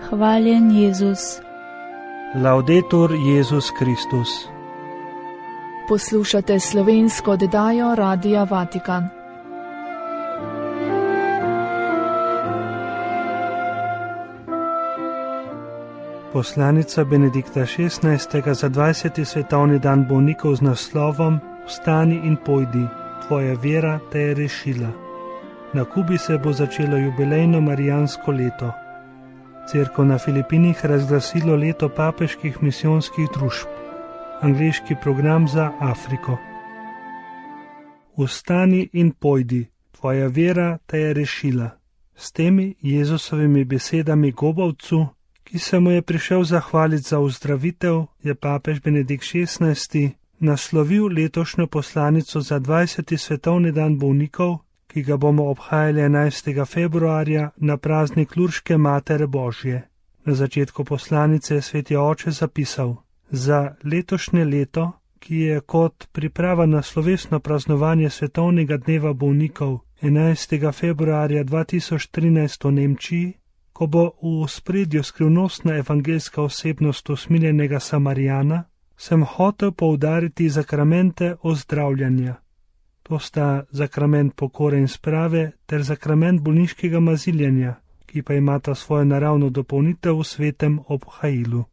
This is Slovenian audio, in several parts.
Hvaljen Jezus. Laudetur Jezus Kristus. Poslušate slovensko oddajo Radia Vatikan. Poslanica Benedikta XVI. Za 20. svetovni dan bolnikov z naslovom Vstani in pojdi, tvoja vera te je rešila. Na Kubi se bo začelo jubilejno marijansko leto. Cerkev na Filipinih razglasilo leto papeških misijonskih družb. Angleški program za Afriko. Vstani in pojdi, tvoja vera te je rešila. S temi Jezusovimi besedami gobavcu, ki se mu je prišel zahvaliti za ozdravitev, je papež Benedikt XVI. Naslovil letošnjo poslanico za 20. svetovni dan bolnikov, ki ga bomo obhajali 11. februarja na praznik Lurške Matere Božje. Na začetku poslanice je sveti oče zapisal: za letošnje leto, ki je kot priprava na slovesno praznovanje svetovnega dneva bolnikov 11. februarja 2013 v Nemčiji, ko bo v ospredju skrivnostna evangeljska osebnost usmiljenega Samarijana, sem hotel poudariti zakramente ozdravljanja. To sta zakrament pokore in sprave ter zakrament bolniškega maziljenja, ki pa imata svojo naravno dopolnitev v svetem obhajilu.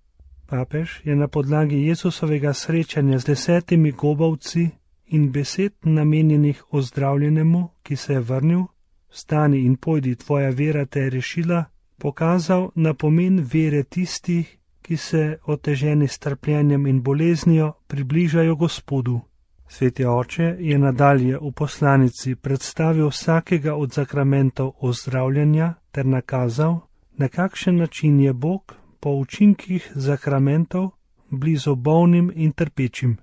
Papež je na podlagi Jezusovega srečanja z 10 gobavci in besed namenjenih ozdravljenemu, ki se je vrnil, vstani in pojdi, tvoja vera te je rešila, pokazal na pomen vere tistih, ki se oteženi s trpljenjem in boleznijo približajo Gospodu. Sveti oče je nadalje v poslanici predstavil vsakega od zakramentov ozdravljanja ter nakazal, na kakšen način je Bog po učinkih zakramentov blizu bolnim in trpečim.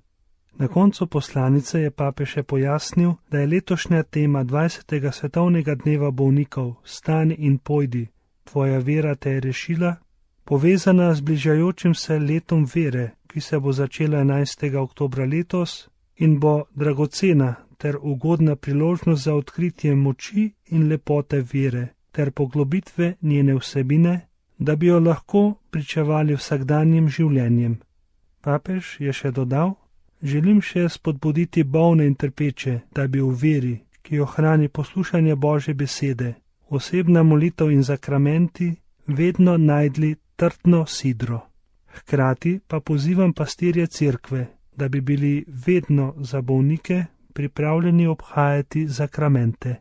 Na koncu poslanice je papež še pojasnil, da je letošnja tema 20. svetovnega dneva bolnikov Vstani in pojdi, tvoja vera te je rešila, povezana z bližajočim se letom vere, ki se bo začela 11. oktobra letos in bo dragocena ter ugodna priložnost za odkritje moči in lepote vere ter poglobitve njene vsebine, da bi jo lahko pričevali vsakdanjim življenjem. Papež je še dodal: želim še spodbuditi bolne in trpeče, da bi v veri, ki jo hrani poslušanje Božje besede, osebna molitev in zakramenti, vedno najdli trdno sidro. Hkrati pa pozivam pastirje cerkve, da bi bili vedno za bolnike pripravljeni obhajati zakramente.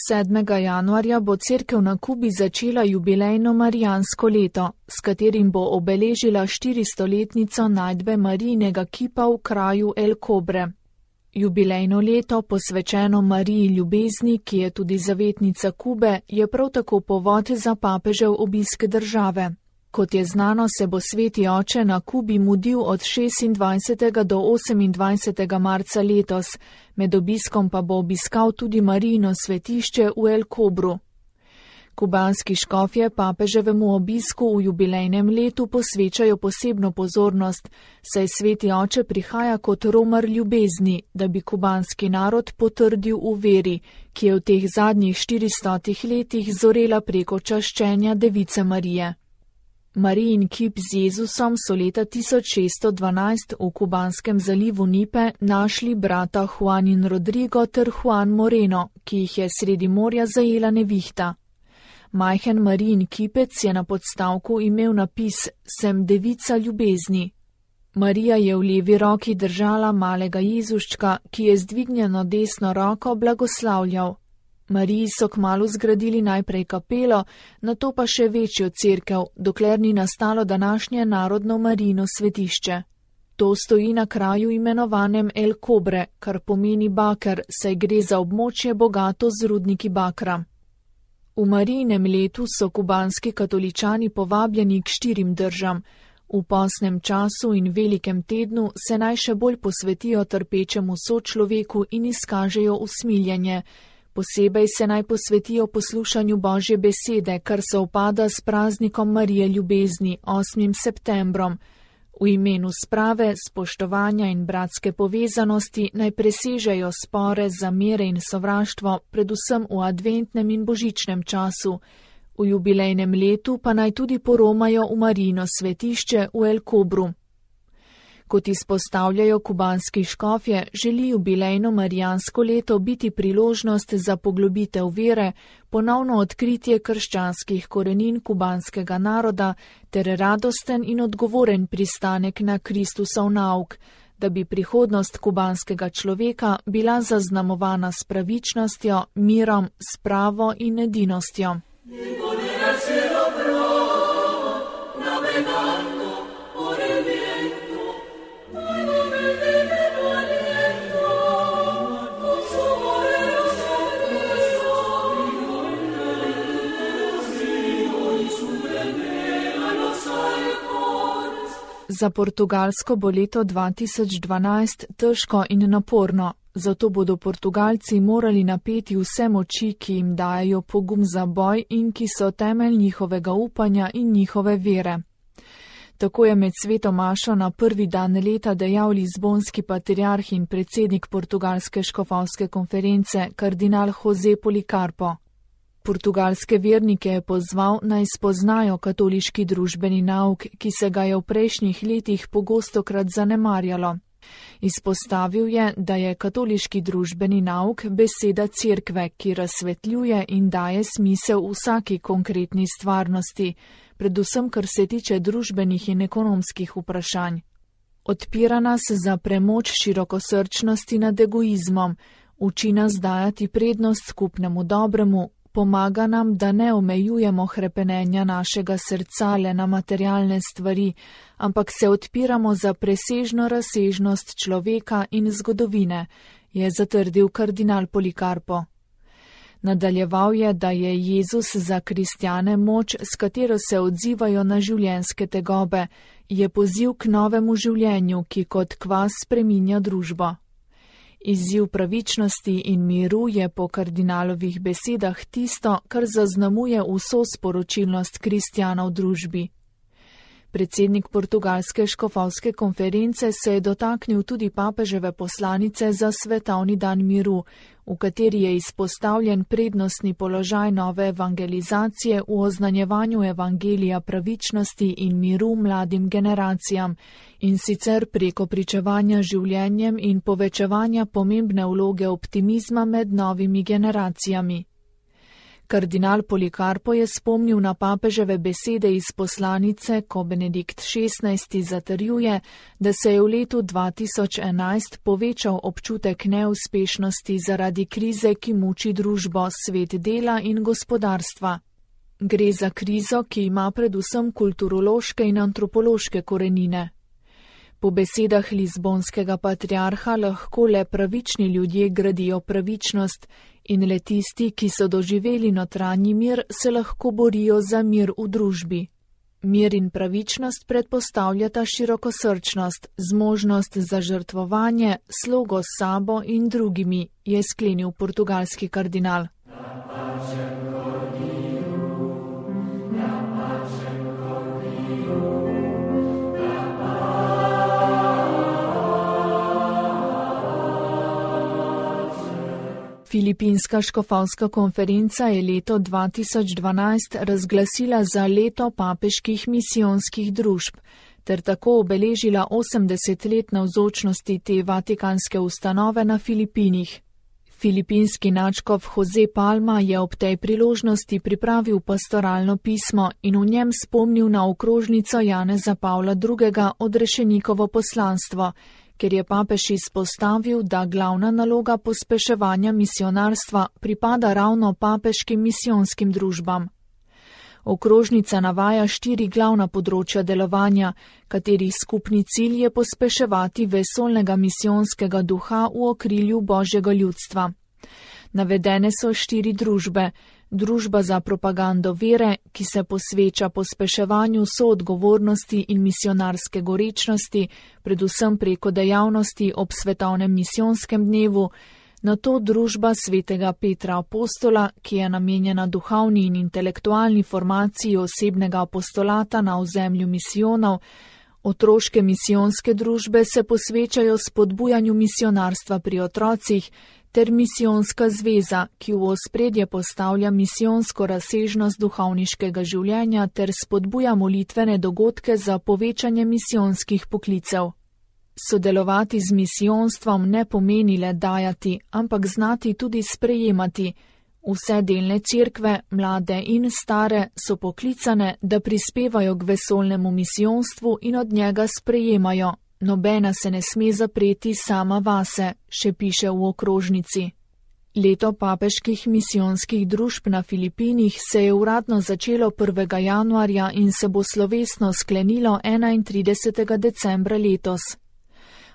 Sedmega januarja bo cerkev na Kubi začela jubilejno marijansko leto, s katerim bo obeležila 400-letnico najdbe Marijinega kipa v kraju El Cobre. Jubilejno leto, posvečeno Mariji ljubezni, ki je tudi zavetnica Kube, je prav tako povod za papežev obisk države. Kot je znano, se bo sveti oče na Kubi mudil od 26. do 28. marca letos, med obiskom pa bo obiskal tudi Marijino svetišče v El Cobru. Kubanski škofje papeževemu obisku v jubilejnem letu posvečajo posebno pozornost, saj sveti oče prihaja kot romar ljubezni, da bi kubanski narod potrdil v veri, ki je v teh zadnjih 400 letih zorela preko čaščenja Device Marije. Marijin kip z Jezusom so leta 1612 v kubanskem zalivu Nipe našli brata Juan in Rodrigo ter Juan Moreno, ki jih je sredi morja zajela nevihta. Majhen Marijin kipec je na podstavku imel napis Sem devica ljubezni. Marija je v levi roki držala malega Jezuščka, ki je z dvignjeno desno roko blagoslavljal. Mariji so kmalu zgradili najprej kapelo, nato pa še večjo cerkev, dokler ni nastalo današnje narodno Marijino svetišče. To stoji na kraju imenovanem El Cobre, kar pomeni baker, saj gre za območje bogato z rudniki bakra. V Marijinem letu so kubanski katoličani povabljeni k 4 držam. V postnem času in velikem tednu se naj še bolj posvetijo trpečemu sočloveku in izkažejo usmiljenje. Posebej se naj posvetijo poslušanju Božje besede, kar se upada s praznikom Marije ljubezni, 8. septembrom. V imenu sprave, spoštovanja in bratske povezanosti naj presežejo spore, zamere in sovraštvo, predvsem v adventnem in božičnem času. V jubilejnem letu pa naj tudi poromajo v Marijino svetišče v El Kobru. Kot izpostavljajo kubanski škofje, želi jubilejno marijansko leto biti priložnost za poglobitev vere, ponovno odkritje krščanskih korenin kubanskega naroda ter radosten in odgovoren pristanek na Kristusov nauk, da bi prihodnost kubanskega človeka bila zaznamovana s pravičnostjo, mirom, spravo in edinostjo. Za Portugalsko bo leto 2012 težko in naporno, zato bodo Portugalci morali napeti vse moči, ki jim dajo pogum za boj in ki so temelj njihovega upanja in njihove vere. Tako je med sveto mašo na prvi dan leta dejal lizbonski patriarh in predsednik Portugalske škofovske konference, kardinal José Policarpo. Portugalske vernike je pozval, naj spoznajo katoliški družbeni nauk, ki se ga je v prejšnjih letih pogostokrat zanemarjalo. Izpostavil je, da je katoliški družbeni nauk beseda cerkve, ki razsvetljuje in daje smisel vsaki konkretni stvarnosti, predvsem kar se tiče družbenih in ekonomskih vprašanj. Odpira nas za premoč širokosrčnosti nad egoizmom, uči nas dajati prednost skupnemu dobremu, pomaga nam, da ne omejujemo hrepenenja našega srca le na materialne stvari, ampak se odpiramo za presežno razsežnost človeka in zgodovine, je zatrdil kardinal Policarpo. Nadaljeval je, da je Jezus za kristjane moč, s katero se odzivajo na življenjske tegobe, je poziv k novemu življenju, ki kot kvas spreminja družbo. Izziv pravičnosti in miru je po kardinalovih besedah tisto, kar zaznamuje vso sporočilnost kristjana v družbi. Predsednik Portugalske škofovske konference se je dotaknil tudi papeževe poslanice za svetovni dan miru, v kateri je izpostavljen prednostni položaj nove evangelizacije v oznanjevanju evangelija pravičnosti in miru mladim generacijam, in sicer preko pričevanja življenjem in povečevanja pomembne vloge optimizma med novimi generacijami. Kardinal Policarpo je spomnil na papeževe besede iz poslanice, ko Benedikt XVI zatrjuje, da se je v letu 2011 povečal občutek neuspešnosti zaradi krize, ki muči družbo, svet dela in gospodarstva. Gre za krizo, ki ima predvsem kulturološke in antropološke korenine. Po besedah lizbonskega patriarha lahko le pravični ljudje gradijo pravičnost in le tisti, ki so doživeli notranji mir, se lahko borijo za mir v družbi. Mir in pravičnost predpostavljata širokosrčnost, zmožnost za žrtvovanje, slogo s sabo in drugimi, je sklenil portugalski kardinal. Filipinska škofovska konferenca je leto 2012 razglasila za leto papeških misijonskih družb, ter tako obeležila 80 let navzočnosti te vatikanske ustanove na Filipinih. Filipinski nadškof José Palma je ob tej priložnosti pripravil pastoralno pismo in v njem spomnil na okrožnico Janeza Pavla II. Odrešenikovo poslanstvo, ker je papež izpostavil, da glavna naloga pospeševanja misionarstva pripada ravno papeškim misijonskim družbam. Okrožnica navaja 4 glavna področja delovanja, katerih skupni cilj je pospeševati vesoljnega misijonskega duha v okrilju Božjega ljudstva. Navedene so 4 družbe. Družba za propagando vere, ki se posveča pospeševanju soodgovornosti in misionarske gorečnosti, predvsem preko dejavnosti ob svetovnem misijonskem dnevu, nato družba svetega Petra apostola, ki je namenjena duhovni in intelektualni formaciji osebnega apostolata na ozemlju misijonov. Otroške misijonske družbe se posvečajo spodbujanju misionarstva pri otrocih, ter misijonska zveza, ki v ospredje postavlja misijonsko razsežnost duhovniškega življenja ter spodbuja molitvene dogodke za povečanje misijonskih poklicev. Sodelovati z misijonstvom ne pomeni le dajati, ampak znati tudi sprejemati. Vse delne cerkve, mlade in stare, so poklicane, da prispevajo k vesoljnemu misijonstvu in od njega sprejemajo. Nobena se ne sme zapreti sama vase, še piše v okrožnici. Leto papeških misijonskih družb na Filipinih se je uradno začelo 1. januarja in se bo slovesno sklenilo 31. decembra letos.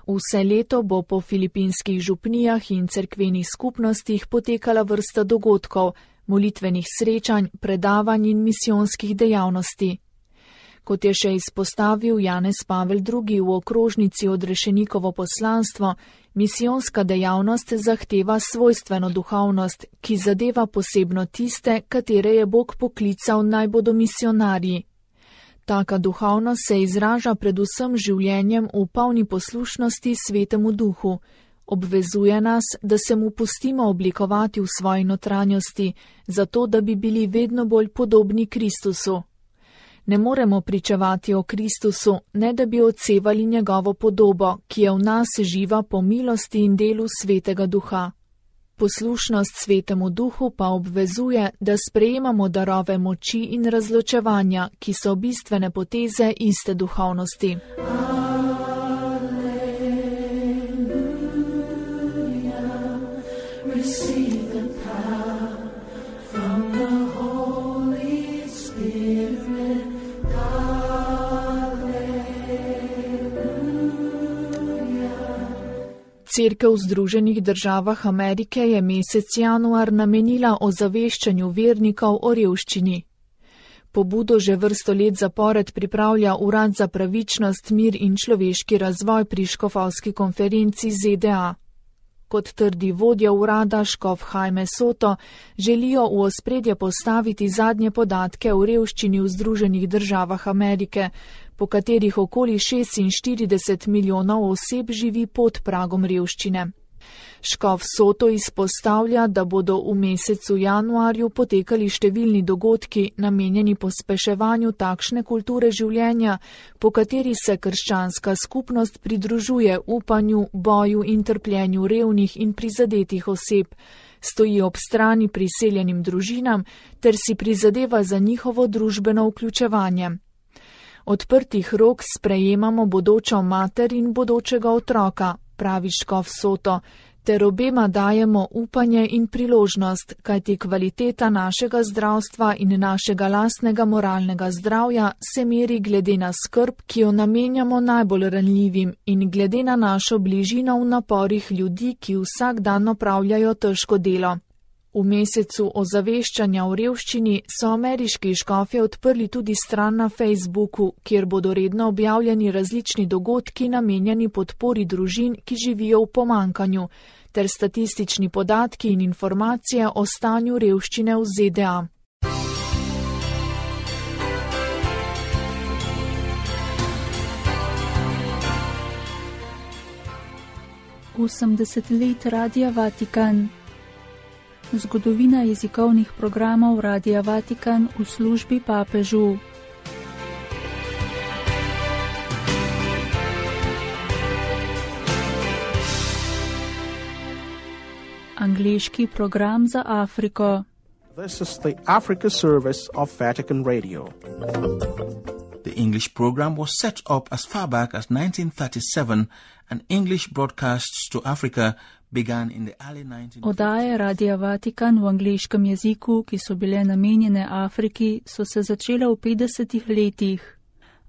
Vse leto bo po filipinskih župnijah in cerkvenih skupnostih potekala vrsta dogodkov, molitvenih srečanj, predavanj in misijonskih dejavnosti. Kot je še izpostavil Janez Pavel II. V okrožnici Odrešenikovo poslanstvo, misijonska dejavnost zahteva svojstveno duhovnost, ki zadeva posebno tiste, katere je Bog poklical naj bodo misionarji. Taka duhovnost se izraža predvsem življenjem v polni poslušnosti Svetemu Duhu. Obvezuje nas, da se mu pustimo oblikovati v svoji notranjosti, zato da bi bili vedno bolj podobni Kristusu. Ne moremo pričevati o Kristusu, ne da bi odsevali njegovo podobo, ki je v nas živa po milosti in delu Svetega Duha. Poslušnost Svetemu Duhu pa obvezuje, da sprejemamo darove moči in razločevanja, ki so bistvene poteze iste duhovnosti. Cerkev v Združenih državah Amerike je mesec januar namenila ozaveščanju vernikov o revščini. Pobudo že vrsto let zapored pripravlja Urad za pravičnost, mir in človeški razvoj pri škofovski konferenci ZDA. Kot trdi vodja urada škof Jaime Soto, želijo v ospredje postaviti zadnje podatke o revščini v Združenih državah Amerike, po katerih okoli 46 milijonov oseb živi pod pragom revščine. Škof Soto izpostavlja, da bodo v mesecu januarju potekali številni dogodki, namenjeni pospeševanju takšne kulture življenja, po kateri se krščanska skupnost pridružuje upanju, boju in trpljenju revnih in prizadetih oseb, stoji ob strani priseljenim družinam ter si prizadeva za njihovo družbeno vključevanje. Odprtih rok sprejemamo bodočo mater in bodočega otroka, pravi škof Soto, ter obema dajemo upanje in priložnost, kajti kvaliteta našega zdravstva in našega lastnega moralnega zdravja se meri glede na skrb, ki jo namenjamo najbolj ranljivim in glede na našo bližino v naporih ljudi, ki vsak dan opravljajo težko delo. V mesecu ozaveščanja o revščini so ameriški škofje odprli tudi stran na Facebooku, kjer bodo redno objavljeni različni dogodki namenjeni podpori družin, ki živijo v pomankanju, ter statistični podatki in informacije o stanju revščine v ZDA. Let Radia Vatikan. Zgodovina jezikovnih programov Radia Vatikan v službi papežu. Angleški program za Afriko. This is the Africa service of Vatican Radio. The English program was set up as far back as 1937 and English broadcasts to Africa began in the early 1950s. Oddaje Radia Vatikan v angleškem jeziku, ki so bile namenjene Afriki, so se začele v 50. letih.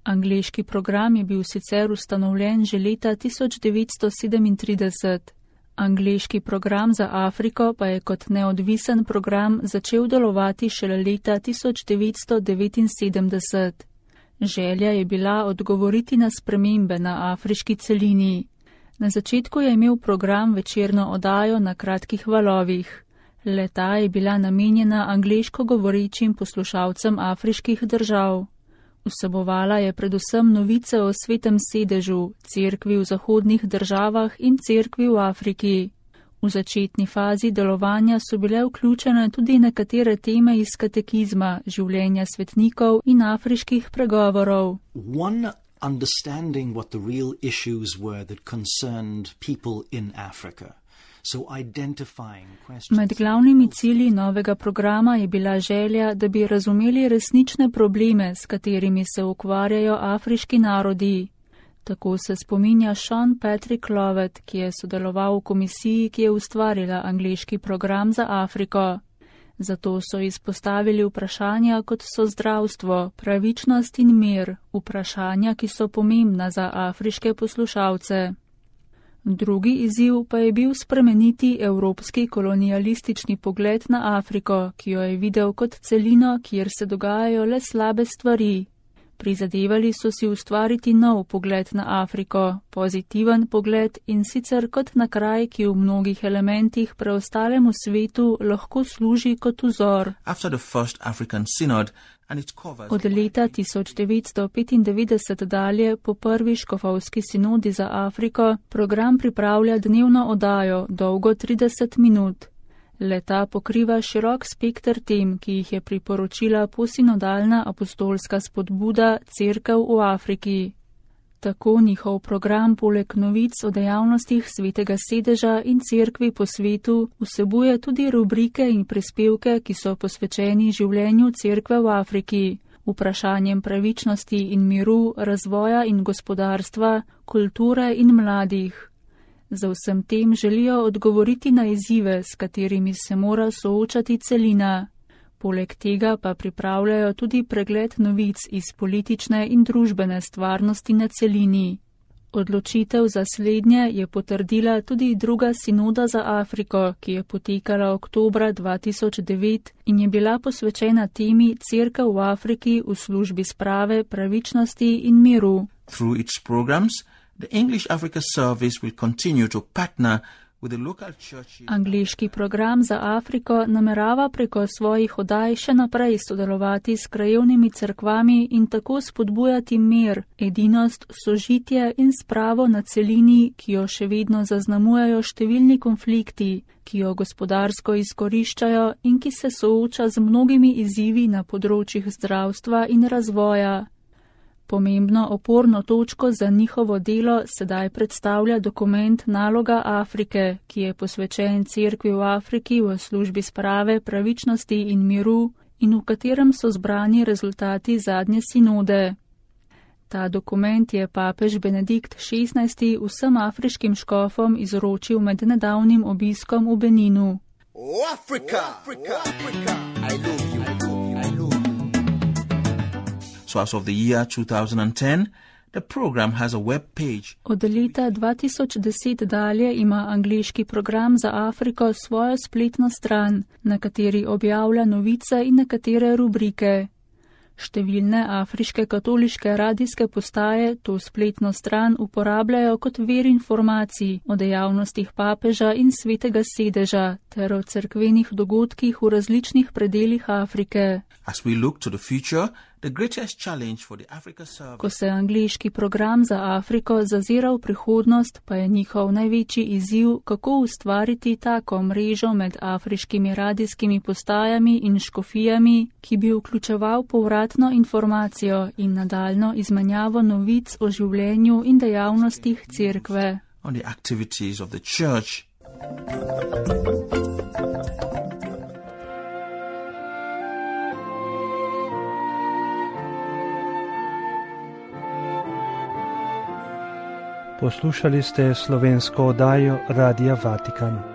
Angleški program je bil sicer ustanovljen že leta 1937. Angleški program za Afriko pa je kot neodvisen program začel delovati šele leta 1979. Želja je bila odgovoriti na spremembe na afriški celini. Na začetku je imel program večerno oddajo na kratkih valovih. Le-ta je bila namenjena angleško govorečim poslušalcem afriških držav. Vsebovala je predvsem novice o Svetem sedežu, cerkvi v zahodnih državah in cerkvi v Afriki. V začetni fazi delovanja so bile vključene tudi nekatere teme iz katekizma, življenja svetnikov in afriških pregovorov. One understanding what the real issues were that concerned people in Africa. Med glavnimi cilji novega programa je bila želja, da bi razumeli resnične probleme, s katerimi se ukvarjajo afriški narodi. Tako se spominja Sean Patrick Lovett, ki je sodeloval v komisiji, ki je ustvarila angleški program za Afriko. Zato so izpostavili vprašanja, kot so zdravstvo, pravičnost in mir, vprašanja, ki so pomembna za afriške poslušalce. Drugi izziv pa je bil spremeniti evropski kolonialistični pogled na Afriko, ki jo je videl kot celino, kjer se dogajajo le slabe stvari. Prizadevali so si ustvariti nov pogled na Afriko, pozitiven pogled in sicer kot na kraj, ki v mnogih elementih preostalemu svetu lahko služi kot vzor. Od leta 1995 dalje, po prvi škofovski sinodi za Afriko, program pripravlja dnevno oddajo, dolgo 30 minut. Le-ta pokriva širok spekter tem, ki jih je priporočila posinodalna apostolska spodbuda Cerkev v Afriki. Tako njihov program poleg novic o dejavnostih Svetega sedeža in cerkvi po svetu vsebuje tudi rubrike in prispevke, ki so posvečeni življenju cerkve v Afriki, vprašanjem pravičnosti in miru, razvoja in gospodarstva, kulture in mladih. Za vsem tem želijo odgovoriti na izzive, s katerimi se mora soočati celina. Poleg tega pa pripravljajo tudi pregled novic iz politične in družbene stvarnosti na celini. Odločitev za slednje je potrdila tudi druga sinoda za Afriko, ki je potekala oktobra 2009 in je bila posvečena temi Cerkev v Afriki v službi sprave, pravičnosti in miru. Through its programs, the English Africa Service will continue to partner with the local churches. Angleški program za Afriko namerava preko svojih oddaj še naprej sodelovati s krajevnimi cerkvami in tako spodbujati mir, edinost, sožitje in spravo na celini, ki jo še vedno zaznamujejo številni konflikti, ki jo gospodarsko izkoriščajo in ki se sooča z mnogimi izzivi na področjih zdravstva in razvoja. Pomembno oporno točko za njihovo delo sedaj predstavlja dokument Naloga Afrike, ki je posvečen cerkvi v Afriki v službi sprave, pravičnosti in miru in v katerem so zbrani rezultati zadnje sinode. Ta dokument je papež Benedikt XVI vsem afriškim škofom izročil med nedavnim obiskom v Beninu. Africa! Africa! I love you. So as of the year 2010, the program has a web page. Od leta 2010 dalje ima angleški program za Afriko svojo spletno stran, na kateri objavlja novice in nekatere rubrike. Številne afriške katoliške radijske postaje to spletno stran uporabljajo kot vir informacij o dejavnostih papeža in Svetega sedeža ter o cerkvenih dogodkih v različnih predelih Afrike. As we look to the future, the greatest challenge for the Africa Service. Ko se angleški program za Afriko zazira v prihodnost, pa je njihov največji izziv, kako ustvariti tako mrežo med afriškimi radijskimi postajami in škofijami, ki bi vključeval povratno informacijo in nadaljno izmenjavo novic o življenju in dejavnostih cerkve. On the activities of the church. Poslušali ste slovensko oddajo Radia Vatikan.